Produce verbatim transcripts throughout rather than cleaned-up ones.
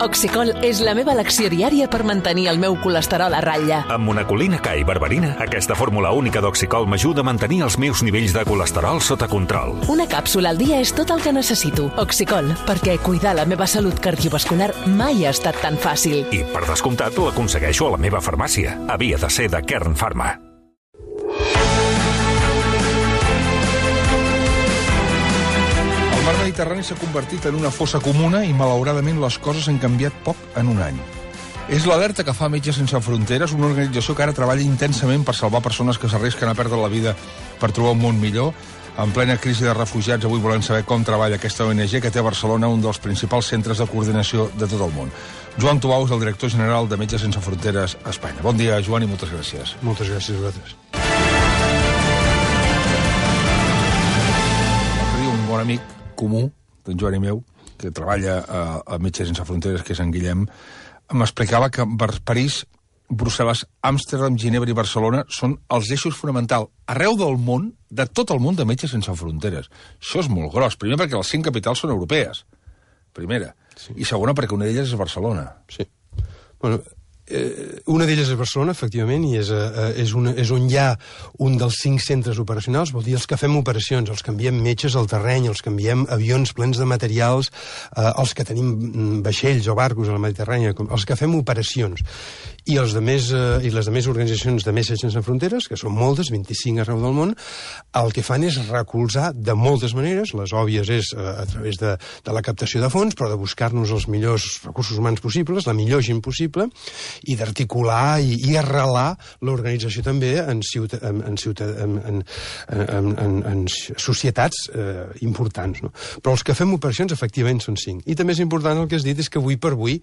Oxicol és la meva elecció diària per mantenir el meu colesterol a ratlla. Amb monacolina K i berberina, aquesta fórmula única d'Oxicol m'ajuda a mantenir els meus nivells de colesterol sota control. Una càpsula al dia és tot el que necessito. Oxicol, perquè cuidar la meva salut cardiovascular mai ha estat tan fàcil. I, per descomptat, l'aconsegueixo a la meva farmàcia. Havia de ser de Kern Pharma. El mar Mediterrani s'ha convertit en una fossa comuna i, malauradament, les coses han canviat poc en un any. És l'alerta que fa Metges Sense Fronteres, una organització que ara treballa intensament per salvar persones que s'arrisquen a perdre la vida per trobar un món millor. En plena crisi de refugiats, avui volem saber com treballa aquesta O N G que té a Barcelona un dels principals centres de coordinació de tot el món. Joan Tubau és el director general de Metges Sense Fronteres a Espanya. Bon dia, Joan, i moltes gràcies. Moltes gràcies a vosaltres. Un bon amic comú, d'en Joan i meu, que treballa a, a Metges Sense Fronteres, que és en Guillem, m'explicava que París, Brussel·les, Amsterdam, Ginebra i Barcelona són els eixos fonamentals arreu del món, de tot el món de Metges Sense Fronteres. Això és molt gros. Primer, perquè les cinc capitals són europees. Primera. Sí. I segona, perquè una d'elles és Barcelona. Sí. Bueno, eh, una d'elles és Barcelona, efectivament, i és, eh, és, una, és on hi ha un dels cinc centres operacionals, vol dir els que fem operacions, els que enviem metges al terreny, els que enviem avions plens de materials, eh, els que tenim vaixells o barcos a la Mediterrània, els que fem operacions. I, els de més, eh, i les demés organitzacions de Metges Sense Fronteres, que són moltes, vint-i-cinc arreu del món, el que fan és recolzar de moltes maneres, les òbvies és eh, a través de, de la captació de fons, però de buscar-nos els millors recursos humans possibles, la millor gent possible, i d'articular i, i arrelar l'organització també en, ciuta, en, en, ciuta, en, en, en, en, en societats eh, importants. No? Però els que fem operacions, efectivament, són cinc. I també és important el que has dit, és que avui per avui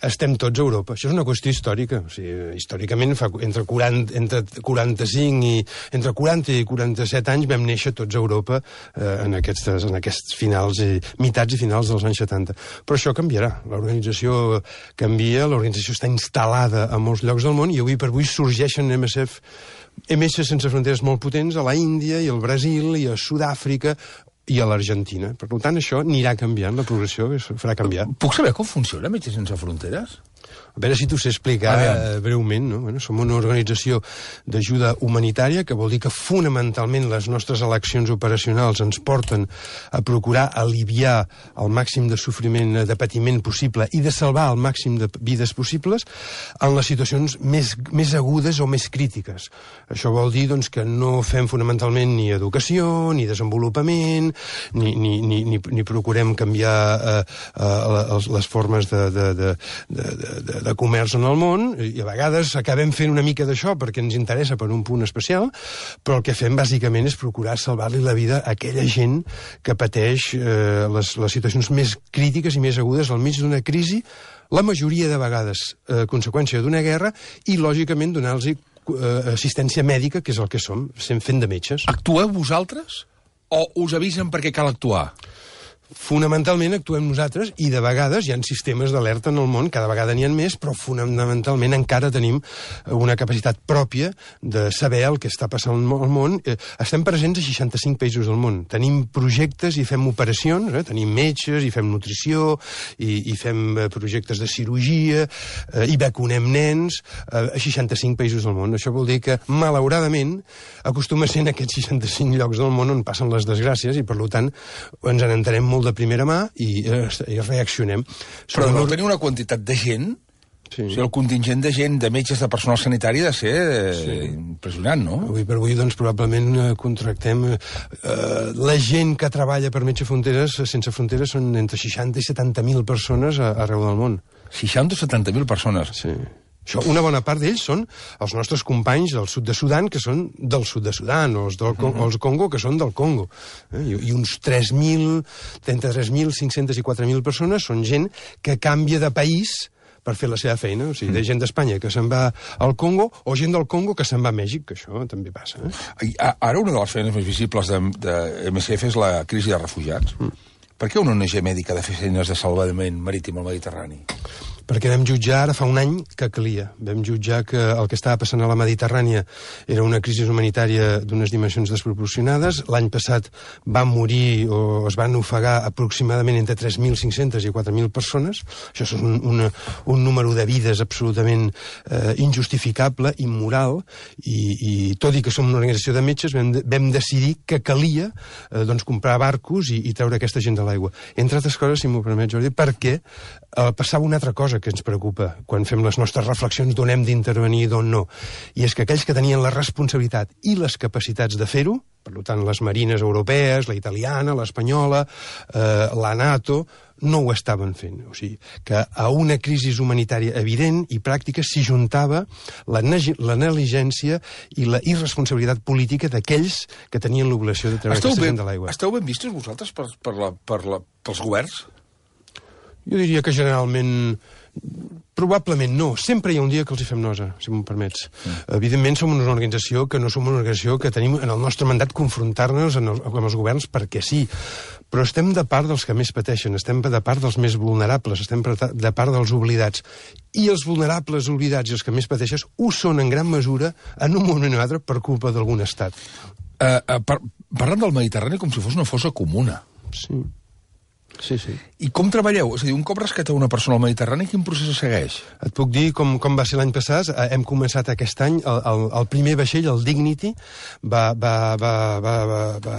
estem tots a Europa. Això és una qüestió històrica. O sigui, històricament, fa entre, quaranta, entre quaranta-cinc i entre quaranta i quaranta-set anys vam néixer tots a Europa eh, en, aquestes, en aquests finals, i, mitats i finals dels anys setanta. Però això canviarà. L'organització canvia, l'organització està instal·lada a molts llocs del món i avui per avui sorgeixen M S F, Metges Sense Fronteres molt potents a la Índia i al Brasil i a Sud-àfrica i a l'Argentina. Per tant, això anirà canviant, la progressió es farà canviar. Puc saber com funciona Metges Sense Fronteres? A veure si t'ho sé explicar eh, breument. No? Bueno, som una organització d'ajuda humanitària, que vol dir que fonamentalment les nostres eleccions operacionals ens porten a procurar aliviar el màxim de sofriment, de patiment possible i de salvar el màxim de vides possibles en les situacions més, més agudes o més crítiques. Això vol dir doncs, que no fem fonamentalment ni educació, ni desenvolupament, ni, ni, ni, ni, ni procurem canviar eh, eh, les, les formes de, de, de, de, de de comerç en el món, i a vegades acabem fent una mica d'això perquè ens interessa per un punt especial, però el que fem bàsicament és procurar salvar-li la vida a aquella gent que pateix eh, les, les situacions més crítiques i més agudes al mig d'una crisi, la majoria de vegades eh, conseqüència d'una guerra, i lògicament donar-los eh, assistència mèdica, que és el que som, fent de metges. Actueu vosaltres o us avisen perquè cal actuar? Fonamentalment actuem nosaltres i de vegades hi ha sistemes d'alerta en el món, cada vegada n'hi ha més, però fonamentalment encara tenim una capacitat pròpia de saber el que està passant al món. Estem presents a seixanta-cinc països del món. Tenim projectes i fem operacions, eh? Tenim metges i fem nutrició i, i fem projectes de cirurgia eh, i vacunem nens eh, a seixanta-cinc països del món. Això vol dir que, malauradament, acostuma a ser en aquests seixanta-cinc llocs del món on passen les desgràcies i, per tant, ens n'entenem molt de primera mà i, eh, i reaccionem. Però no tenir una quantitat de gent, sí. O sigui, el contingent de gent, de metges, de personal sanitari, ha de ser eh, sí. impressionant, no? Avui per avui, doncs, probablement eh, contractem... Eh, la gent que treballa per Metges Fronteres, Sense Fronteres, són entre seixanta i setanta mil persones a, arreu del món. seixanta o setanta mil persones? Sí. Això, una bona part d'ells són els nostres companys del sud de Sudan, que són del sud de Sudan, o els del uh -huh. els Congo, que són del Congo. Eh? I, I uns tres mil, trenta-tres mil cinc-cents i quatre mil persones són gent que canvia de país per fer la seva feina. O sigui, de gent d'Espanya que se'n va al Congo, o gent del Congo que se'n va a Mèxic, que això també passa. Eh? Ara una de les feines més visibles de, de M S F és la crisi de refugiats. Mm. Per què una O N G mèdica ha de fer feines de salvament marítim al Mediterrani? perquè vam jutjar ara fa un any que calia. Vam jutjar que el que estava passant a la Mediterrània era una crisi humanitària d'unes dimensions desproporcionades. L'any passat van morir o es van ofegar aproximadament entre tres mil cinc-centes i quatre mil persones. Això és un, una, un número de vides absolutament eh, injustificable, immoral, i, i tot i que som una organització de metges, vam, vam decidir que calia eh, doncs comprar barcos i, i treure aquesta gent de l'aigua. Entre altres coses, si m'ho permet, Jordi, perquè eh, passava una altra cosa que ens preocupa quan fem les nostres reflexions d'on hem d'intervenir i d'on no. I és que aquells que tenien la responsabilitat i les capacitats de fer-ho, per tant, les marines europees, la italiana, l'espanyola, eh, la NATO, no ho estaven fent. O sigui, que a una crisi humanitària evident i pràctica s'hi juntava la, la negligència i la irresponsabilitat política d'aquells que tenien l'obligació de treure esteu aquesta ben, gent de l'aigua. Esteu ben vistos vosaltres per, per la, per la, pels governs? Jo diria que generalment... Probablement no. Sempre hi ha un dia que els hi fem nosa, si m'ho permets. Mm. Evidentment som una organització que no som una organització que tenim en el nostre mandat confrontar-nos amb els governs perquè sí. Però estem de part dels que més pateixen, estem de part dels més vulnerables, estem de part dels oblidats. I els vulnerables, oblidats i els que més pateixen ho són en gran mesura en un moment o altre per culpa d'algun estat. Uh, uh, par parlant del Mediterrani com si fos una fossa comuna. Sí. Sí, sí. I com treballeu? És a dir, un cop rescateu una persona al Mediterrani, quin procés segueix? Et puc dir com, com va ser l'any passat. Hem començat aquest any, el, el, el primer vaixell, el Dignity, va, va, va, va, va, va,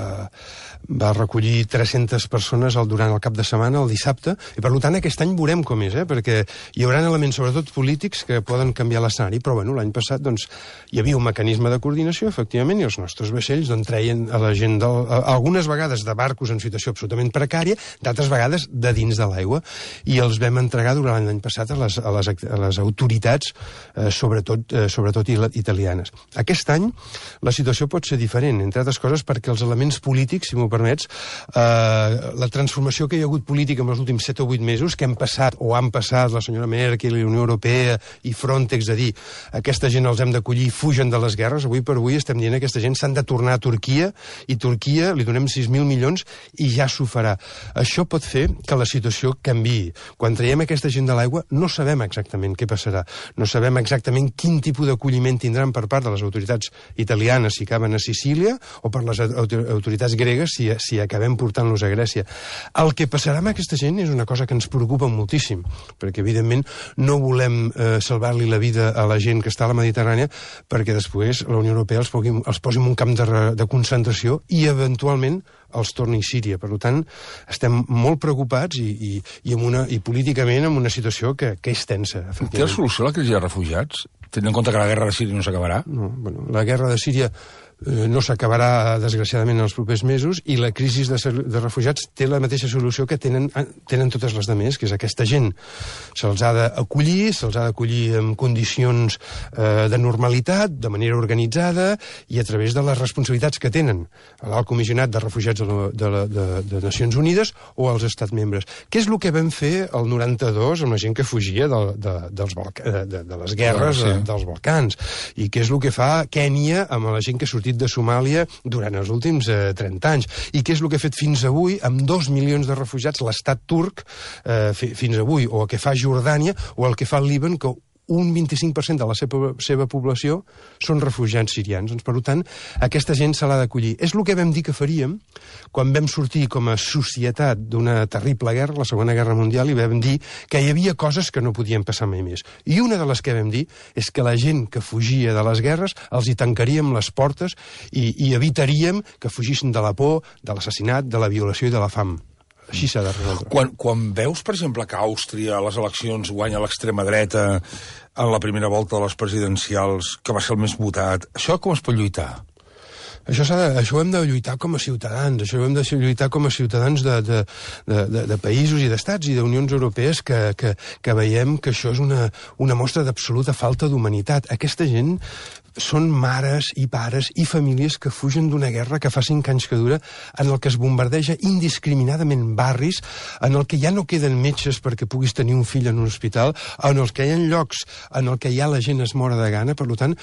va recollir tres-centes persones al, durant el cap de setmana, el dissabte, i per tant aquest any veurem com és, eh? Perquè hi haurà elements, sobretot polítics, que poden canviar l'escenari, però bueno, l'any passat doncs, hi havia un mecanisme de coordinació, efectivament, i els nostres vaixells doncs, treien a la gent, del, a, algunes vegades de barcos en situació absolutament precària, d'altres vegades de dins de l'aigua, i els vam entregar durant l'any passat a les, a les, a les autoritats, eh, sobretot, eh, sobretot italianes. Aquest any la situació pot ser diferent, entre altres coses perquè els elements polítics, si m'ho permets, eh, la transformació que hi ha hagut política en els últims set o vuit mesos, que hem passat o han passat la senyora Merkel i la Unió Europea i Frontex a dir aquesta gent els hem d'acollir, fugen de les guerres, avui per avui estem dient que aquesta gent s'han de tornar a Turquia, i Turquia li donem sis mil milions i ja s'ho farà. Això pot fer que la situació canviï. Quan traiem aquesta gent de l'aigua no sabem exactament què passarà. No sabem exactament quin tipus d'acolliment tindran per part de les autoritats italianes si acaben a Sicília o per les autoritats gregues si, si acabem portant-los a Grècia. El que passarà amb aquesta gent és una cosa que ens preocupa moltíssim, perquè evidentment no volem eh, salvar-li la vida a la gent que està a la Mediterrània perquè després la Unió Europea els, pugui, els posi en un camp de, de concentració i eventualment els torni a Síria. Per tant, estem molt preocupats i, i, i, amb una, i políticament en una situació que, que és tensa. Té la solució a la crisi de refugiats? Tenint en compte que la guerra de Síria no s'acabarà? No, bueno, la guerra de Síria eh, no s'acabarà, desgraciadament, en els propers mesos, i la crisi de, de refugiats té la mateixa solució que tenen, tenen totes les demés, que és aquesta gent. Se'ls ha d'acollir, se'ls ha d'acollir en condicions eh, de normalitat, de manera organitzada, i a través de les responsabilitats que tenen l'Alt Comissionat de Refugiats de, la, de, la, de, de Nacions Unides o els estats membres. Què és el que vam fer el noranta-dos amb la gent que fugia de, de, dels de, de, de les guerres ah, sí. de, dels Balcans? I què és el que fa Kènia amb la gent que ha sortit de Somàlia durant els últims eh, trenta anys? I què és el que ha fet fins avui amb dos milions de refugiats l'estat turc eh, fins avui? O el que fa Jordània o el que fa el Líban, que un vint-i-cinc per cent de la seva, seva població són refugiats sirians. Doncs, per tant, aquesta gent se l'ha d'acollir. És el que vam dir que faríem quan vam sortir com a societat d'una terrible guerra, la Segona Guerra Mundial, i vam dir que hi havia coses que no podien passar mai més. I una de les que vam dir és que la gent que fugia de les guerres els hi tancaríem les portes i, i evitaríem que fugissin de la por, de l'assassinat, de la violació i de la fam. Així s'ha de resoldre. Quan, quan veus, per exemple, que Àustria a les eleccions guanya l'extrema dreta en la primera volta de les presidencials, que va ser el més votat, això com es pot lluitar? Això, de, això ho hem de lluitar com a ciutadans, això ho hem de lluitar com a ciutadans de, de, de, de, de països i d'estats i d'unions europees que, que, que veiem que això és una, una mostra d'absoluta falta d'humanitat. Aquesta gent són mares i pares i famílies que fugen d'una guerra que fa cinc anys que dura, en el que es bombardeja indiscriminadament barris, en el que ja no queden metges perquè puguis tenir un fill en un hospital, en el que hi ha llocs en el que ja la gent es mora de gana. Per tant,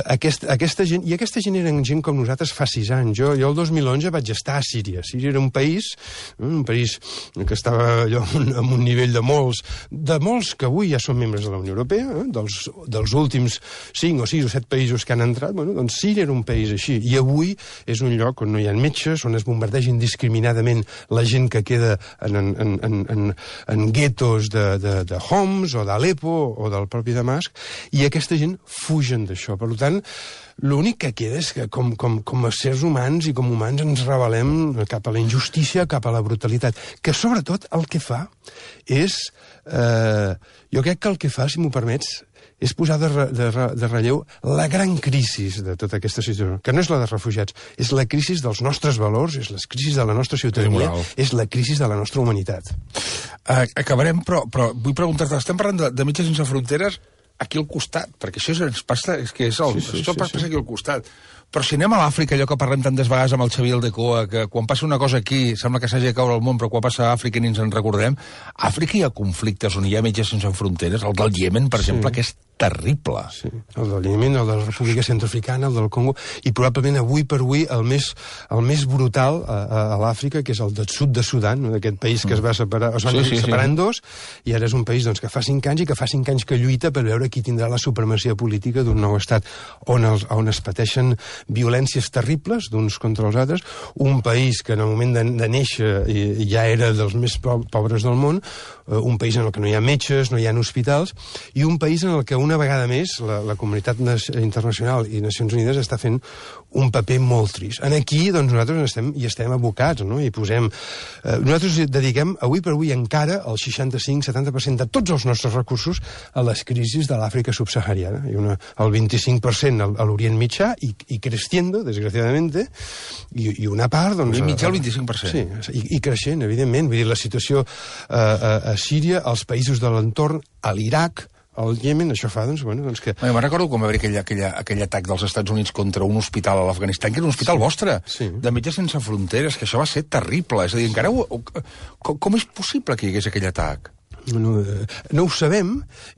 aquest, aquesta gent, i aquesta gent eren gent com nosaltres fa sis anys. Jo, jo el dos mil onze vaig estar a Síria. Síria era un país, un país que estava allò amb un nivell de molts, de molts que avui ja són membres de la Unió Europea, eh? dels, dels últims cinc o sis o set països que han entrat, bueno, doncs Síria era un país així, i avui és un lloc on no hi ha metges, on es bombardeja indiscriminadament la gent que queda en, en, en, en, en guetos de, de, de Homs o d'Alepo o del propi Damasc, i aquesta gent fugen d'això. Per tant, l'únic que queda és que com, com, com a éssers humans i com humans ens rebel·lem cap a la injustícia, cap a la brutalitat, que sobretot el que fa és... Eh, jo crec que el que fa, si m'ho permets, és posar de, de, de relleu la gran crisi de tota aquesta situació, que no és la de refugiats, és la crisi dels nostres valors, és la crisi de la nostra ciutadania, és la crisi de la nostra humanitat. Uh, acabarem, però, però vull preguntar-te, estem parlant de, de Metges Sense Fronteres aquí al costat, perquè això ens passa, és que és el, sí, sí, això sí, passa sí. aquí al costat. Però si anem a l'Àfrica, allò que parlem tantes vegades amb el Xavier Aldecoa, que quan passa una cosa aquí sembla que s'hagi de caure el món, però quan passa a Àfrica ni ens en recordem, a Àfrica hi ha conflictes on hi ha Metges Sense Fronteres, el del Iemen, per sí. exemple, que és terrible. Sí, el del Iemen, el de la República Centroafricana, el del Congo, i probablement avui per avui el més, el més brutal a, a, a l'Àfrica, que és el del sud de Sudan, no? D'aquest país que es va separar, es van sí, sí, separar sí. en dos, i ara és un país doncs, que fa cinc anys i que fa cinc anys que lluita per veure qui tindrà la supremacia política d'un nou estat on, els, on es pateixen violències terribles d'uns contra els altres, un país que en el moment de, de néixer ja era dels més pobres del món, un país en el que no hi ha metges, no hi ha hospitals, i un país en el que una vegada més la, la comunitat internacional i Nacions Unides està fent un paper molt trist. En aquí, doncs, nosaltres estem, hi estem abocats, no? I posem... Eh, nosaltres dediquem, avui per avui, encara el seixanta-cinc setanta per cent de tots els nostres recursos a les crisis de l'Àfrica subsahariana. I una, el vint-i-cinc per cent a l'Orient Mitjà i, i creciendo, desgraciadamente, i, i una part... Doncs, L'Orient Mitjà el vint-i-cinc per cent. Sí, i, i creixent, evidentment. Vull dir, la situació eh, a, a Síria, als països de l'entorn, a l'Iraq, al Iemen, això fa, doncs, bueno, doncs que... Bueno, me'n recordo com va haver aquell, aquell, aquell atac dels Estats Units contra un hospital a l'Afganistan, que era un hospital sí. vostre, sí. de Metges Sense Fronteres, que això va ser terrible. És a dir, encara... Ho, com, com és possible que hi hagués aquell atac? No, no ho sabem,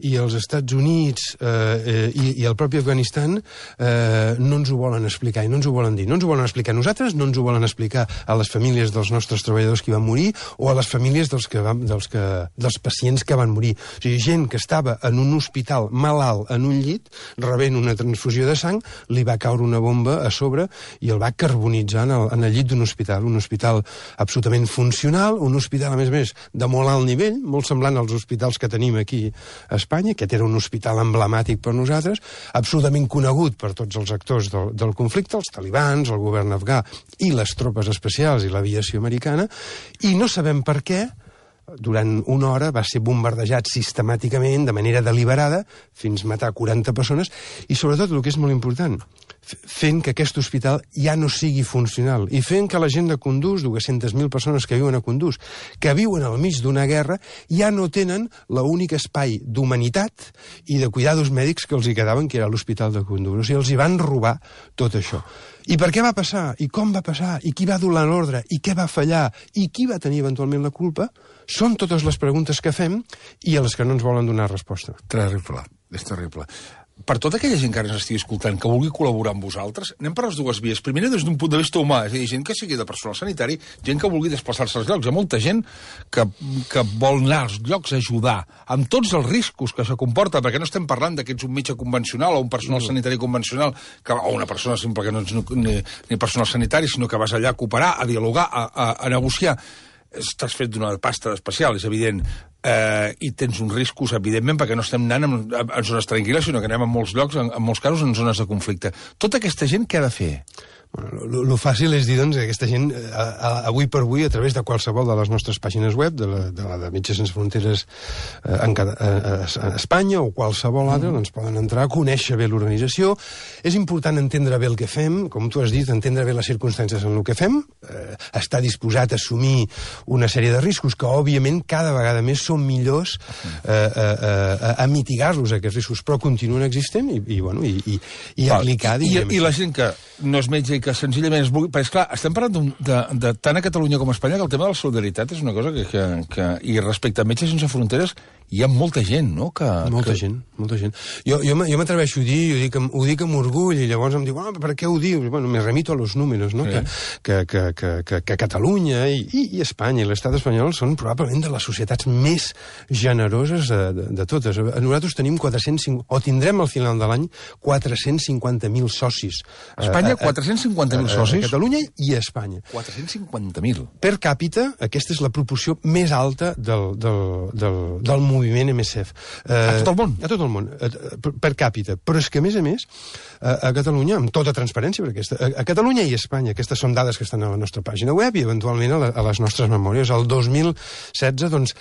i els Estats Units eh, i, i el propi Afganistan eh, no ens ho volen explicar i no ens ho volen dir. No ens ho volen explicar a nosaltres, no ens ho volen explicar a les famílies dels nostres treballadors que van morir o a les famílies dels, que van, dels, que, dels pacients que van morir. O sigui, gent que estava en un hospital malalt en un llit, rebent una transfusió de sang, li va caure una bomba a sobre i el va carbonitzar en el, en el llit d'un hospital. Un hospital absolutament funcional, un hospital, a més a més, de molt alt nivell, molt semblant als hospitals que tenim aquí a Espanya. Aquest era un hospital emblemàtic per nosaltres, absolutament conegut per tots els actors del, del conflicte, els talibans, el govern afgà i les tropes especials i l'aviació americana, i no sabem per què durant una hora va ser bombardejat sistemàticament, de manera deliberada, fins a matar quaranta persones, i sobretot, el que és molt important, fent que aquest hospital ja no sigui funcional, i fent que la gent de Kunduz, dues-centes mil persones que viuen a Kunduz, que viuen al mig d'una guerra, ja no tenen l'únic espai d'humanitat i de cuidados mèdics que els hi quedaven, que era l'hospital de Kunduz. O sigui, els hi van robar tot això. I per què va passar? I com va passar? I qui va donar l'ordre? I què va fallar? I qui va tenir eventualment la culpa? Són totes les preguntes que fem i a les que no ens volen donar resposta. Terrible, és terrible. Per tota aquella gent que ara ens estigui escoltant, que vulgui col·laborar amb vosaltres, anem per les dues vies. Primera, des d'un punt de vista humà, és a dir, gent que sigui de personal sanitari, gent que vulgui desplaçar-se als llocs. Hi ha molta gent que, que vol anar als llocs a ajudar, amb tots els riscos que això comporta, perquè no estem parlant que ets un metge convencional o un personal no. sanitari convencional, que, o una persona simple que no ets ni, ni personal sanitari, sinó que vas allà a cooperar, a dialogar, a, a, a negociar. Estàs fet d'una pasta especial, és evident, eh, i tens uns riscos, evidentment, perquè no estem anant en, en zones tranquil·les, sinó que anem en molts llocs, en, en molts casos, en zones de conflicte. Tota aquesta gent què ha de fer? Bueno, lo fàcil és dir, doncs, que aquesta gent, a, a, avui per avui, a través de qualsevol de les nostres pàgines web, de la de, la de Metges Sense Fronteres eh, en, cada, eh, a Espanya o qualsevol altra, mm. doncs poden entrar a conèixer bé l'organització. És important entendre bé el que fem, com tu has dit, entendre bé les circumstàncies en el que fem, eh, estar disposat a assumir una sèrie de riscos que, òbviament, cada vegada més són millors eh, eh, eh, a mitigar-los, aquests riscos, però continuen existent i, i, bueno, i, i, i aplicar... I, i, I la gent que no és metge i que senzillament es vulgui... Perquè, esclar, estem parlant de, de tant a Catalunya com a Espanya que el tema de la solidaritat és una cosa que... que, que i respecte a Metges Sense Fronteres hi ha molta gent, no? Que, molta que... gent, molta gent. Jo, jo, jo m'atreveixo a dir, ho dic, ho dic amb orgull, i llavors em diu, ah, per què ho dius? Bueno, me remito a los números, no? Sí. Que, que, que, que, que Catalunya i, i, i Espanya i l'estat espanyol són probablement de les societats més generoses de, de, de totes. Nosaltres tenim quatre-cents cinquanta, o tindrem al final de l'any quatre-cents cinquanta mil socis. Espanya, quatre-cents cinquanta mil socis? A Catalunya i a Espanya. quatre-cents cinquanta mil. Per càpita, aquesta és la proporció més alta del, del, del, del moviment M S F. Eh, a tot el món? A tot el món, per, per càpita. Però és que, a més a més, a, a Catalunya, amb tota transparència, perquè aquesta, a, a Catalunya i a Espanya, aquestes són dades que estan a la nostra pàgina web i, eventualment, a, la, a les nostres memòries. El dos mil setze, doncs,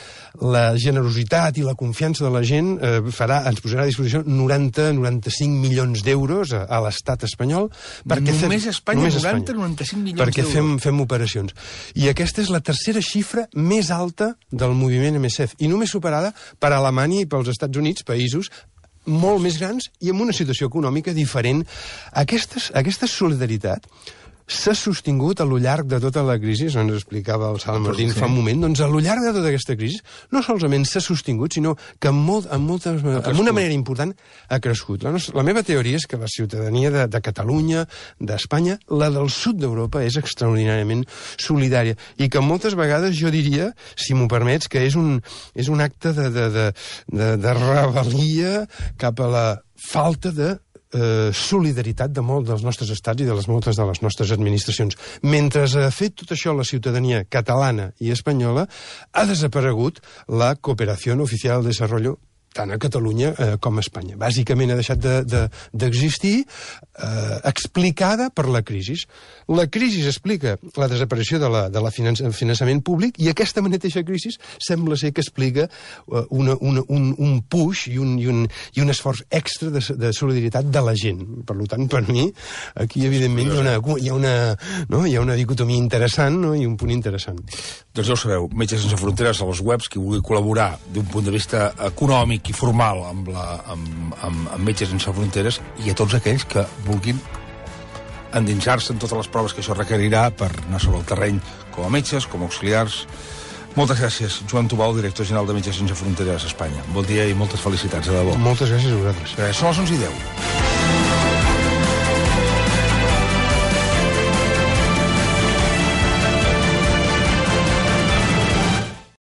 la generositat i la confiança de la gent eh, farà, ens posarà a disposició noranta a noranta-cinc milions d'euros a, a l'estat espanyol. Perquè només fem, Espanya, només noranta a noranta-cinc milions perquè d'euros. Perquè fem, fem operacions. I aquesta és la tercera xifra més alta del moviment M S F, i només superada per Alemanya i pels Estats Units, països molt més grans i amb una situació econòmica diferent. Aquestes, aquesta solidaritat s'ha sostingut a lo llarg de tota la crisi, ens explicava el Salm Martín sí. fa un moment, doncs a lo llarg de tota aquesta crisi no solament s'ha sostingut, sinó que en, molt, en, moltes, en una manera important ha crescut. La, nostra, la meva teoria és que la ciutadania de, de Catalunya, d'Espanya, la del sud d'Europa, és extraordinàriament solidària i que moltes vegades jo diria, si m'ho permets, que és un, és un acte de, de, de, de, de rebel·lia cap a la falta de Eh, solidaritat de molts dels nostres estats i de les moltes de les nostres administracions. Mentre ha fet tot això la ciutadania catalana i espanyola, ha desaparegut la cooperació oficial de desarrollo tant a Catalunya eh, com a Espanya. Bàsicament ha deixat d'existir de, de eh, explicada per la crisi. La crisi explica la desaparició de la, de la finanç, finançament públic i aquesta mateixa crisi sembla ser que explica eh, una, una, un, un push i un, i, un, i un esforç extra de, de solidaritat de la gent. Per tant, per mi, aquí evidentment hi ha una, hi ha una, no? hi ha una dicotomia interessant, no? I un punt interessant. Doncs ja ho sabeu, Metges Sense Fronteres a les webs, qui vulgui col·laborar d'un punt de vista econòmic i formal amb, la, amb, amb, amb Metges Sense Fronteres i a tots aquells que vulguin endinsar-se en totes les proves que això requerirà per anar sobre el terreny com a metges, com a auxiliars. Moltes gràcies, Joan Tubau, director general de Metges Sense Fronteres a Espanya. Bon dia i moltes felicitats, de debò. Moltes gràcies a vosaltres. Són les onze i deu.